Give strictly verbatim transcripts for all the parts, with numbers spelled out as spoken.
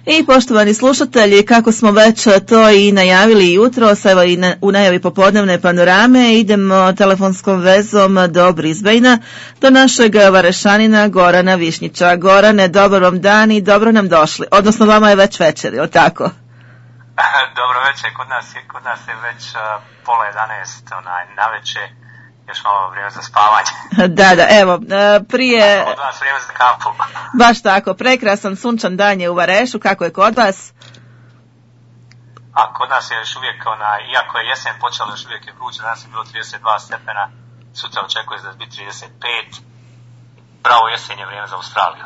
I poštovani slušatelji, kako smo već to i najavili jutros, evo i na, u najavi popodnevne panorame, idemo telefonskom vezom do Brisbanea, do našeg Varešanina Gorana Višnjića. Gorane, dobar vam dan i dobro nam došli. Odnosno, vama je već večer, je li tako? Dobro večer, kod nas je, kod nas je već uh, pola jedanaest, onaj, na večer, još malo vrijeme za spavanje. Da, da, evo, prije... Od vas vrijeme za kapu. Baš tako, prekrasan sunčan dan je u Varešu, kako je kod vas? A kod nas je još uvijek, onaj, iako je jesen počela, još uvijek je vruće, danas je bilo trideset dva stepena, sutra očekuje da će biti trideset pet. Pravo jesen je vrijeme za Australiju.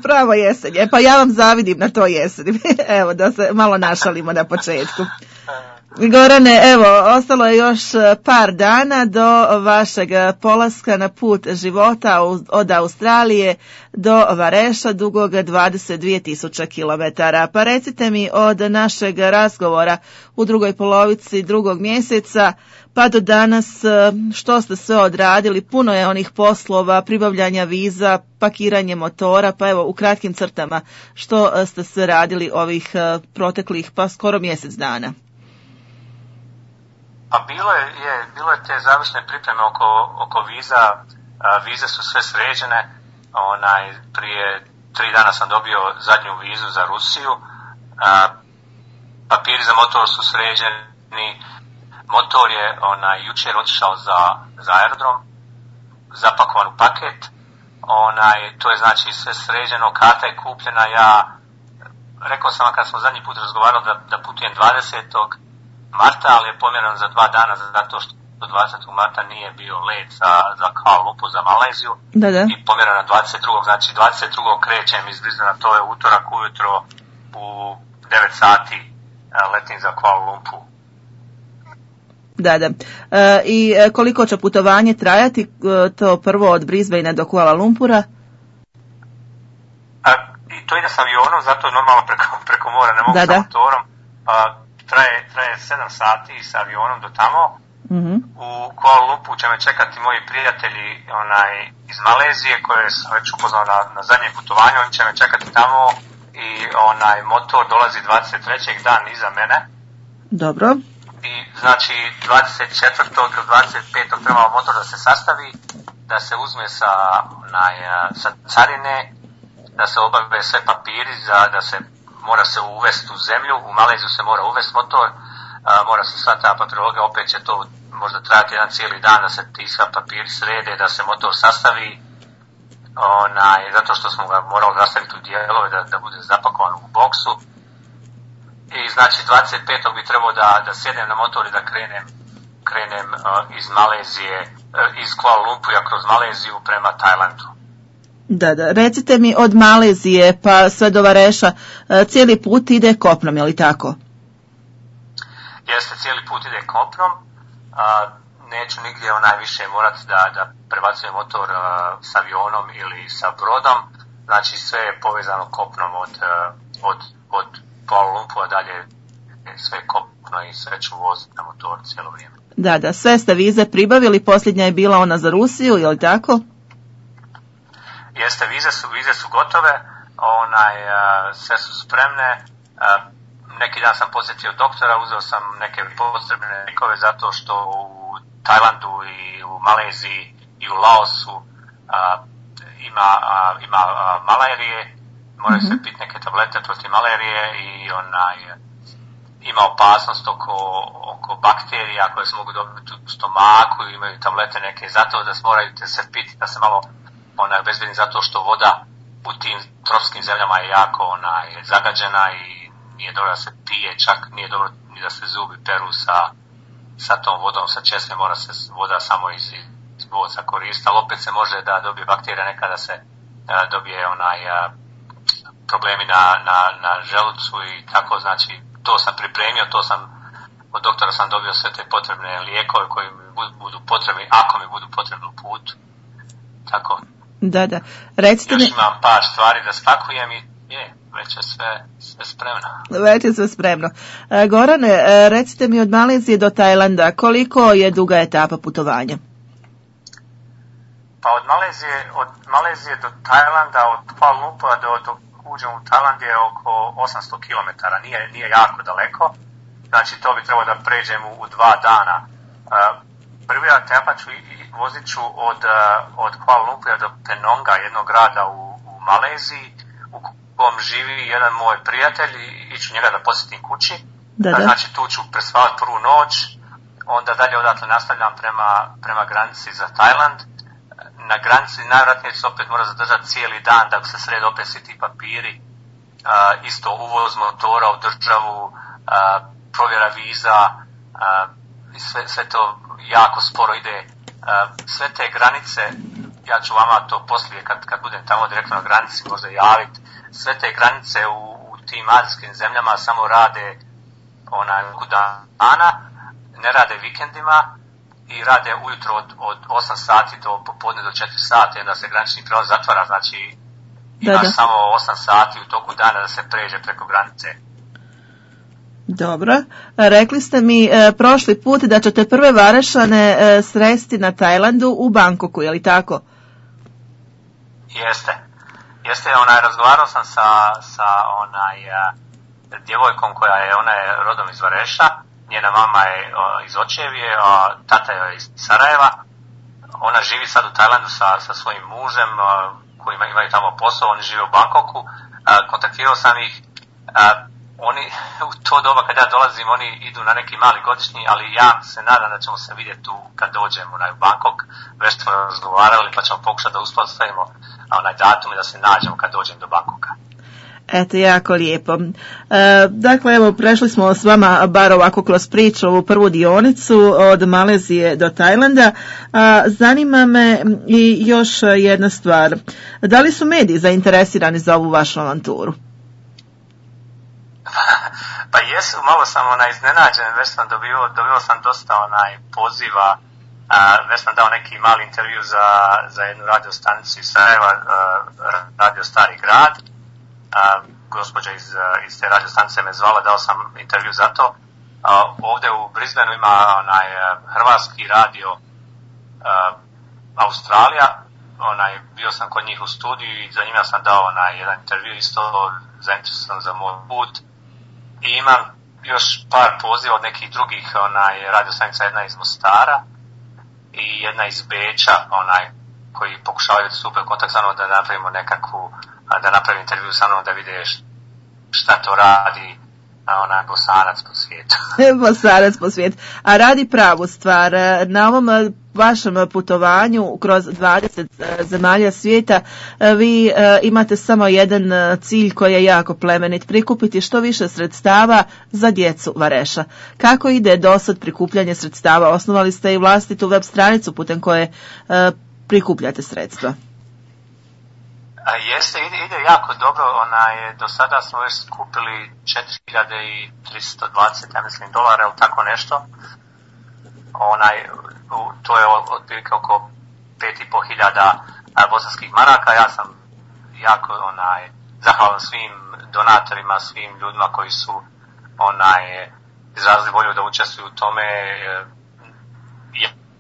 Pravo jesen je, pa ja vam zavidim na to jesen. Evo, da se malo našalimo na početku. Gorane, evo, ostalo je još par dana do vašeg polaska na put života od Australije do Vareša, dugog dvadeset dvije tisuće kilometara. Pa recite mi od našeg razgovora u drugoj polovici drugog mjeseca pa do danas što ste sve odradili. Puno je onih poslova, pribavljanja viza, pakiranje motora, pa evo u kratkim crtama što ste sve radili ovih proteklih pa skoro mjesec dana. Pa bilo je, je, bilo je te završne pripreme oko, oko viza, a, vize su sve sređene, onaj, prije tri dana sam dobio zadnju vizu za Rusiju, a, papiri za motor su sređeni, motor je onaj, jučer otišao za, za aerodrom, zapakovan u paket, onaj, to je znači sve sređeno, karta je kupljena, ja rekao sam vam kad smo zadnji put razgovarali da, da putujem dvadesetog marta, ali je pomjeran za dva dana zato što do dvadesetog marta nije bio let za, za Kuala Lumpur, za Maleziju. Da, da. I pomjeran na dvadeset drugog znači dvadeset drugog krećem iz Brisbanea, to je utorak ujutro u devet sati letim za Kuala Lumpur. Da, da. E, I koliko će putovanje trajati, to prvo od Brisbanea do Kuala Lumpura? A, I to ide s avionom, zato je normalno preko, preko mora, ne mogu da, sa da. motorom. A, traje, traje sedam sati sa avionom do tamo. Mm-hmm. U Kuala Lumpuru će me čekati moji prijatelji onaj, iz Malezije koje sam već upoznao na, na zadnjem putovanju, oni će me čekati tamo i onaj motor dolazi dvadeset trećeg dan iza mene. Dobro. I znači dvadeset četvrtog ili dvadeset petog treba motor da se sastavi, da se uzme sa, onaj, sa carine, da se obave sve papiri, za, da se mora se uvesti u zemlju, u Maleziju se mora uvesti motor, a, mora se sva ta papirologija, opet će to možda trajati jedan cijeli dan da se ti sva papiri srede, da se motor sastavi, onaj, zato što smo ga morali rastaviti u dijelove da, da bude zapakovan u boksu. I znači dvadeset petog bi trebao da, da sjednem na motor i da krenem, krenem uh, iz Malezije, uh, iz Kuala Lumpura kroz Maleziju prema Tajlandu. Da, da. Recite mi od Malezije pa sve do Vareša, cijeli put ide kopnom, je li tako? Jeste, cijeli put ide kopnom. A, neću nigdje onaj više morati da, da prebacujem motor a, s avionom ili sa brodom. Znači sve je povezano kopnom od, a, od, od Kuala Lumpura dalje, sve kopno i sve ću voziti na motor cijelo vrijeme. Da, da. Sve ste vize pribavili, posljednja je bila ona za Rusiju, je li tako? Jeste, vize su, vize su gotove, onaj, a, sve su spremne. A, neki dan sam posjetio doktora, uzeo sam neke potrebne lijekove zato što u Tajlandu i u Maleziji i u Laosu a, ima, a, ima a, malarije, moraju mm-hmm. se piti neke tablete protiv malarije i onaj, ima opasnost oko, oko bakterija koje se mogu dobiti u stomaku, imaju tablete neke, zato da se moraju se piti da se malo ona je bezbedna zato što voda u tim tropskim zemljama je jako onaj, zagađena i nije dobro da se pije, čak nije dobro ni da se zubi peru sa, sa tom vodom, sa česme, mora se voda samo iz, iz boca koristiti, ali opet se može da dobije bakterija, nekada se a, dobije onaj a, problemi na, na, na želucu i tako, znači to sam pripremio, to sam od doktora sam dobio sve te potrebne lijekove koji mi budu potrebni, ako mi budu potrebni u putu, tako. Da, da. Recite Još mi... imam par stvari da spakujem i je, već je sve, sve spremno. Već je sve spremno. E, Gorane, e, recite mi od Malezije do Tajlanda, koliko je duga etapa putovanja? Pa od Malezije, od Malezije do Tajlanda, od Kuala Lumpura do, do uđemo u Tajland je oko osamsto kilometara, nije, nije jako daleko, znači to bi trebalo da pređemo u dva dana. Prvi etapa ću vozit ću od, od Kuala Lumpura do Penonga, jednog grada u, u Maleziji, u kom živi jedan moj prijatelj i iću njega da posjetim kući. Da, da. Znači tu ću prespavati prvu noć, onda dalje odatle nastavljam prema, prema granici za Tajland. Na granici najvjerojatnije se opet mora zadržati cijeli dan da se srede opet svi ti papiri, uh, isto uvoz motora u državu, uh, provjera viza, uh, sve, sve to jako sporo ide. Uh, sve te granice, ja ću vama to poslije kad, kad budem tamo direktno na granici možda javiti, sve te granice u, u tim azijskim zemljama samo rade onaj dana, ne rade vikendima i rade ujutro od, od osam sati do popodne do četiri sati, onda se granični prijelaz zatvara, znači imaš da, da. samo osam sati u toku dana da se pređe preko granice. Dobro. Rekli ste mi e, prošli put da ćete prve Varešane e, sresti na Tajlandu u Bangkoku, je li tako? Jeste. Jeste, onaj, razgovarao sam sa, sa onaj, a, djevojkom koja je, ona je rodom iz Vareša, njena mama je o, iz Očevije, a tata je iz Sarajeva. Ona živi sad u Tajlandu sa, sa svojim mužem, a, koji ima, imaju tamo posao, oni žive u Bangkoku. A, kontaktirao sam ih, a, oni u to doba kad ja dolazim, oni idu na neki mali godišnji, ali ja se nadam da ćemo se vidjeti tu kad dođemo na Bangkok. Već smo razgovarali pa ćemo pokušati da uspostavimo onaj datum i da se nađemo kad dođem do Bangkoka. Eto, jako lijepo. E, dakle, evo, prešli smo s vama bar ovako kroz priču ovu prvu dionicu od Malezije do Tajlanda. A, zanima me i još jedna stvar. Da li su mediji zainteresirani za ovu vašu avanturu? Pa jesu, malo sam onaj iznenađen, već sam dobio, dobio sam dosta onaj poziva, a, već sam dao neki mali intervju za, za jednu radio stanicu iz Sarajeva, radio Stari grad. A, gospođa iz, iz te radio stanice me zvala, dao sam intervju za to. A, ovdje u Brisbaneu ima onaj hrvatski radio a, Australija, onaj, bio sam kod njih u studiju i za njima sam dao onaj jedan intervju, isto zainteresovan za moj put. I imam još par poziva od nekih drugih onaj radio stanica, jedna iz Mostara i jedna iz Beča, onaj koji pokušavaju da stupe u kontakt sa mnom da napravimo nekakvu, da napravim intervju sa mnom da vide šta to radi onaj Bosanac po svijetu. Bosanac po svijetu. A radi pravu stvar. Na ovom vašem putovanju kroz dvadeset zemalja svijeta vi imate samo jedan cilj koji je jako plemenit, prikupiti što više sredstava za djecu Vareša. Kako ide dosad prikupljanje sredstava? Osnovali ste i vlastitu web stranicu putem koje prikupljate sredstva. A jeste, ide, ide jako dobro, onaj, do sada smo već skupili četiri hiljade tristo dvadeset, ja mislim, dolara ili tako nešto. Onaj, to je otprilike oko pet i po hiljada bosanskih maraka. Ja sam jako onaj, zahvalan svim donatorima, svim ljudima koji su onaj, izrazili volju da učestvuju u tome.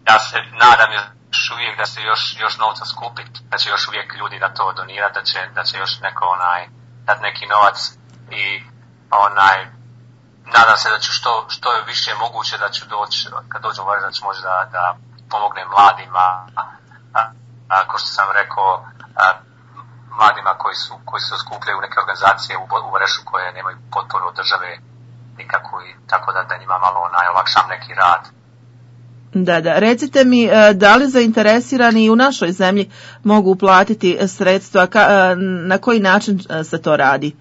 Ja se nadam još uvijek da se još, još novca skupiti, da će još uvijek ljudi da to donirati, da će, da će još neko onaj, dati neki novac i onaj, nadam se da ću što, što je više moguće da ću doći, kad dođem u Vareš, da ću možda da, da pomognem mladima, a, a, ko što sam rekao, a, mladima koji su, koji su skupljaju neke organizacije u, u Varešu koje nemaju potporu od države nikako i tako da, da njima malo onaj, olakšam neki rad. Da, da. Recite mi, da li zainteresirani i u našoj zemlji mogu uplatiti sredstva, na koji način se to radi?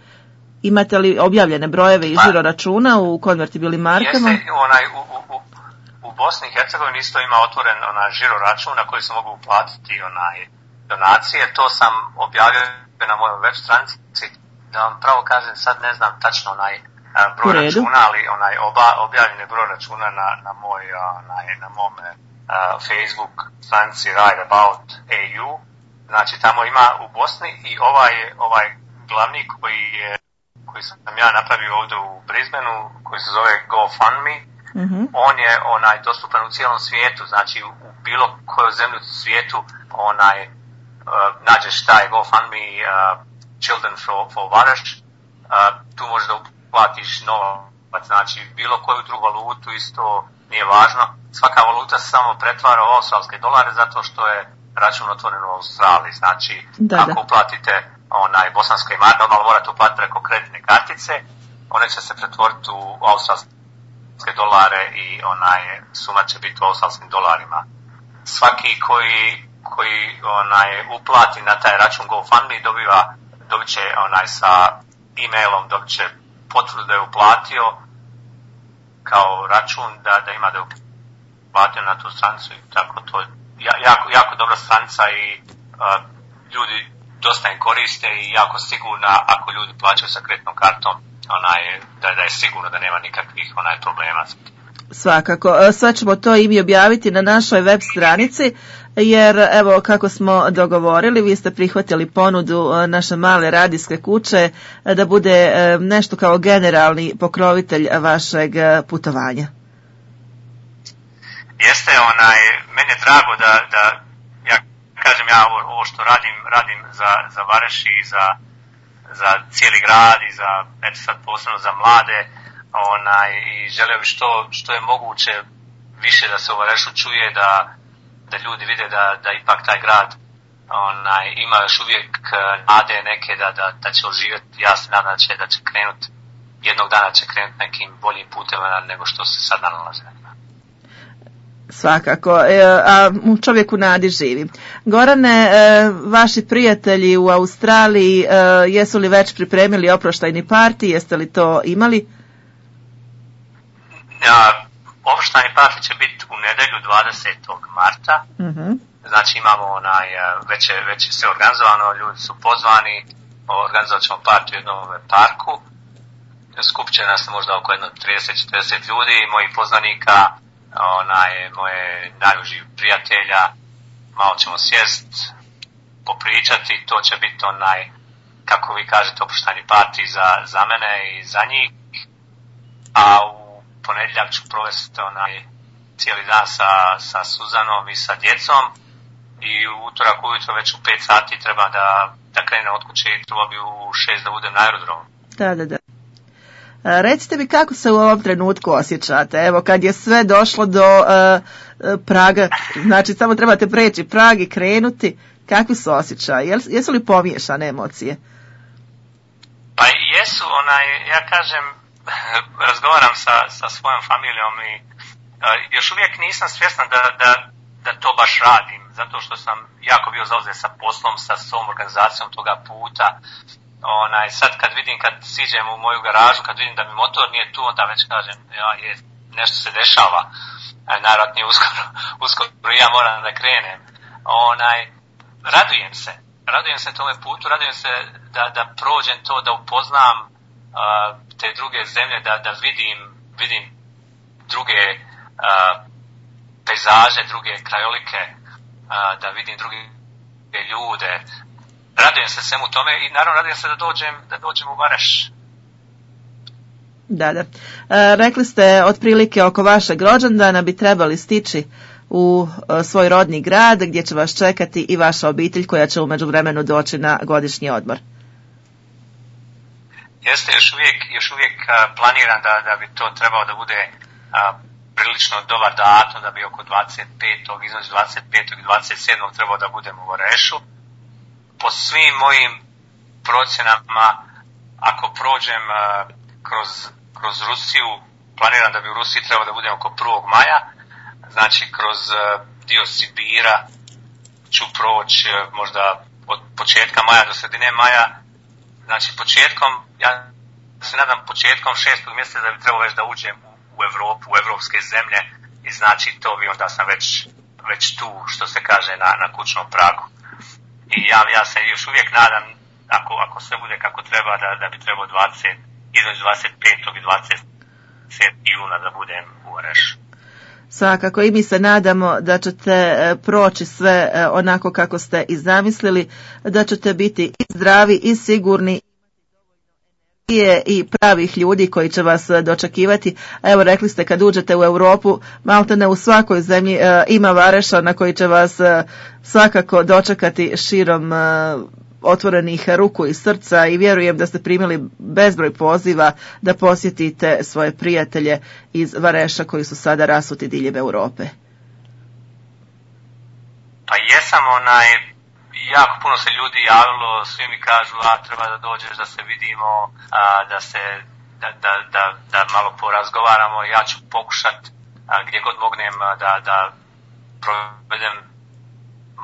Imate li objavljene brojeve i žiro računa u konvertibilnim markama? Jeste, onaj, u, u, u Bosni i Hercegovini isto ima otvoren onaj žiro račun na koji se mogu uplatiti onaj donacije. To sam objavio na mojoj web stranici. Da vam pravo kažem, sad ne znam tačno onaj broj računa, ali onaj oba, objavljene broj računa na, na moj, onaj, na mom uh, Facebook stranici Right About A U. Znači tamo ima u Bosni i ovaj, ovaj glavni koji je, koji sam ja napravio ovdje u Brisbaneu, koji se zove GoFundMe, mm-hmm. on je onaj dostupan u cijelom svijetu, znači u, u bilo kojoj zemlji u svijetu onaj uh, nađeš taj GoFundMe uh, Children for, for Vareš, uh, tu možeš da uplatiš novac, znači bilo koju drugu valutu isto nije važno. Svaka valuta se samo pretvara u australske dolare zato što je račun otvoren u Australiji. Znači, da, ako da. uplatite onaj bosanskoj marki, normalno morate uplatiti preko kreditne kartice, one će se pretvoriti u australske dolare i onaj suma će biti u australskim dolarima. Svaki koji, koji onaj uplati na taj račun GoFundMe dobiva, dobit će onaj sa e-mailom, dobit će potvrdu da je uplatio kao račun, da, da ima da je uplatio na tu stranicu i tako to. Jako, jako dobra stranica i uh, ljudi dosta im koriste i jako sigurna ako ljudi plaćaju sa kreditnom kartom, onaj, da, da je sigurno da nema nikakvih onaj problema. Svakako, sve ćemo to i mi objaviti na našoj web stranici, jer evo kako smo dogovorili, vi ste prihvatili ponudu naše male radijske kuće da bude nešto kao generalni pokrovitelj vašeg putovanja. Jeste, onaj, meni je drago da, da ja kažem ja ovo, ovo što radim, radim za, za Vareš i za, za cijeli grad i za, eto sad posebno za mlade, onaj, i želio bi što, što je moguće više da se u Varešu čuje, da, da ljudi vide da, da ipak taj grad onaj, ima još uvijek nade neke da, da, da će oživjeti. Ja se nadam da će, da će krenuti, jednog dana će krenuti nekim boljim putem nego što se sad nalaze. Svakako, a u čovjeku nadi živi. Gorane, vaši prijatelji u Australiji, jesu li već pripremili oproštajni parti, jeste li to imali? Ja, oproštajni parti će biti u nedjelju dvadesetog marta, uh-huh. Znači imamo onaj, već je, već je sve organizovano, ljudi su pozvani, organizovat ćemo parti u jednom parku, skupit će nas možda oko jedno trideset do četrdeset ljudi, mojih poznanika, onaj, moje najuži prijatelja, malo ćemo sjest, popričati, to će biti onaj, kako vi kažete, oproštajni parti za, za mene i za njih, a u ponedjeljak ću provesti onaj cijeli dan sa, sa Suzanom i sa djecom i u utorak ujutro već u pet sati treba da, da krenem od kuće i treba bi u šest da budem na aerodromu. Da, da, da. Recite mi kako se u ovom trenutku osjećate, evo kad je sve došlo do uh, Praga, znači samo trebate preći Prag i krenuti, kakvi su osjećaji, jesu li pomiješane emocije? Pa jesu, onaj, ja kažem, razgovaram sa, sa svojom familijom i uh, još uvijek nisam svjesna da, da, da to baš radim, zato što sam jako bio zauzet sa poslom, sa svom organizacijom toga puta. Onaj, sad kad vidim, kad siđem u moju garažu, kad vidim da mi motor nije tu, onda već kažem, ja, je, nešto se dešava, najvjerojatnije uskoro, uskoro ja moram da krenem. Onaj, radujem se, radujem se tome putu, radujem se da, da prođem to, da upoznam uh, te druge zemlje, da, da vidim, vidim druge uh, pejzaže, druge krajolike, uh, da vidim druge ljude. Radujem se svemu tome i naravno radujem se da dođem, da dođem u Vareš. Da, da. E, rekli ste otprilike oko vašeg rođendana bi trebali stići u e, svoj rodni grad gdje će vas čekati i vaša obitelj koja će u međuvremenu doći na godišnji odmor. Jeste, još uvijek, još uvijek a, planiram da, da bi to trebao da bude a, prilično dobar datum, da bi oko dvadeset petog između dvadeset petog i dvadeset sedmog trebao da budem u Varešu. Po svim mojim procjenama, ako prođem uh, kroz, kroz Rusiju, planiram da bi u Rusiji trebalo da budem oko prvog maja, znači kroz uh, dio Sibira ću proći uh, možda od početka maja do sredine maja, znači početkom, ja se nadam početkom šestog mjeseca da bi trebalo već da uđem u, u Evropu, u evropske zemlje i znači to bi onda sam već, već tu, što se kaže, na, na kućnom pragu. I ja, ja se još uvijek nadam, ako, ako sve bude kako treba, da, da bi trebao dvadeset, između dvadeset petog i dvadeset sedmog juna da budem u Varešu. Svakako i mi se nadamo da ćete proći sve onako kako ste i zamislili, da ćete biti i zdravi i sigurni i pravih ljudi koji će vas dočekivati. Evo rekli ste kad uđete u Europu, maltene u svakoj zemlji e, ima Vareša na koji će vas e, svakako dočekati širom e, otvorenih ruku i srca i vjerujem da ste primili bezbroj poziva da posjetite svoje prijatelje iz Vareša koji su sada rasuti diljem Europe. Pa jesam, onaj, jako puno se ljudi javilo, svi mi kažu, a treba da dođeš da se vidimo, a, da se, da, da, da, da malo porazgovaramo, ja ću pokušat a, gdje god mognem da, da provedem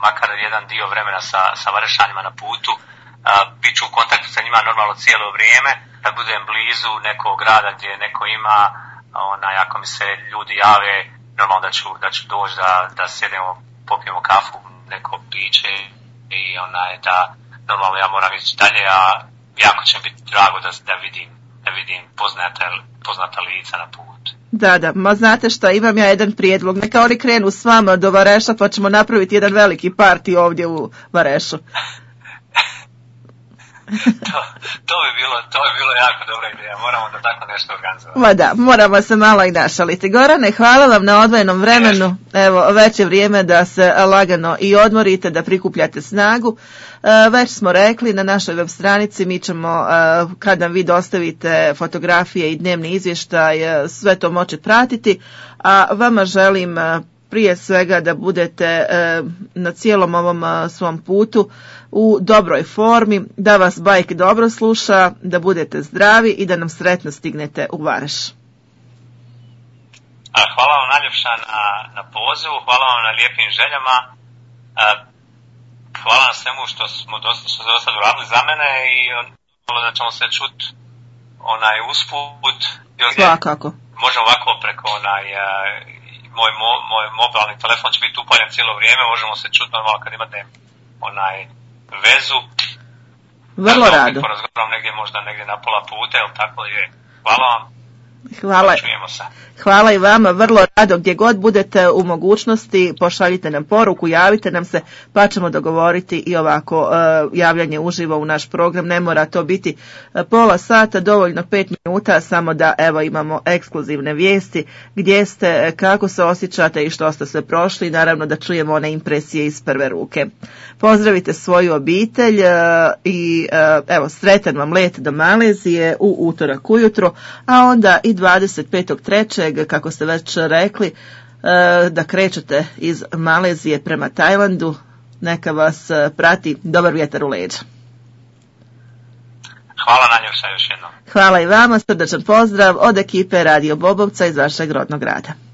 makar jedan dio vremena sa, sa Varešanima na putu, a, bit ću u kontaktu sa njima normalno cijelo vrijeme, kad budem blizu nekog grada gdje neko ima, onaj, ako mi se ljudi jave, normalno da ću, da ću doći da, da sjedemo, popijemo kafu, neko piće i onaj, da normalno ja moram ići dalje, a jako će mi biti drago da, da vidim, da vidim poznata, poznata lica na putu. Da, da, ma znate šta, imam ja jedan prijedlog, neka oni krenu s vama do Vareša pa ćemo napraviti jedan veliki parti ovdje u Varešu. to, to bi bilo, to bi bilo jako dobra ideja, moramo da tako nešto organizovati. Ma da, moramo se malo i našaliti. Gorane, hvala vam na odvojenom vremenu, evo, već je vrijeme da se lagano i odmorite, da prikupljate snagu. E, već smo rekli na našoj web stranici, mi ćemo, e, kad nam vi dostavite fotografije i dnevni izvještaj, e, sve to moći pratiti, a vama želim e, prije svega da budete e, na cijelom ovom e, svom putu u dobroj formi, da vas bajk dobro sluša, da budete zdravi i da nam sretno stignete u Vareš. Hvala vam najljepša na, na pozivu, hvala vam na lijepim željama, hvala na svemu što smo dosta, što ste dosta uradili za mene i da ćemo se čuti onaj usput. Svakako. Možemo ovako preko onaj, moj, moj mobilni telefon će biti upaljen cijelo vrijeme, možemo se čuti normalno kad imate onaj vezu. Vrlo da, rado. Porazgovaram negdje, možda negdje na pola puta, ili tako je. Hvala vam. Hvala. Čujemo se. Hvala i vama, vrlo rado, gdje god budete u mogućnosti, pošaljite nam poruku, javite nam se, pa ćemo dogovoriti i ovako uh, javljanje uživo u naš program. Ne mora to biti uh, pola sata, dovoljno pet minuta, samo da evo imamo ekskluzivne vijesti, gdje ste, kako se osjećate i što ste sve prošli, naravno da čujemo one impresije iz prve ruke. Pozdravite svoju obitelj uh, i uh, evo sretan vam let do Malezije u utorak ujutro, a onda i dvadeset petog trećeg kako ste već rekli, da krećete iz Malezije prema Tajlandu. Neka vas prati dobar vjetar u leđa. Hvala najljepša još jednom. Hvala i vama, srdačan pozdrav od ekipe Radio Bobovca iz vašeg rodnog grada.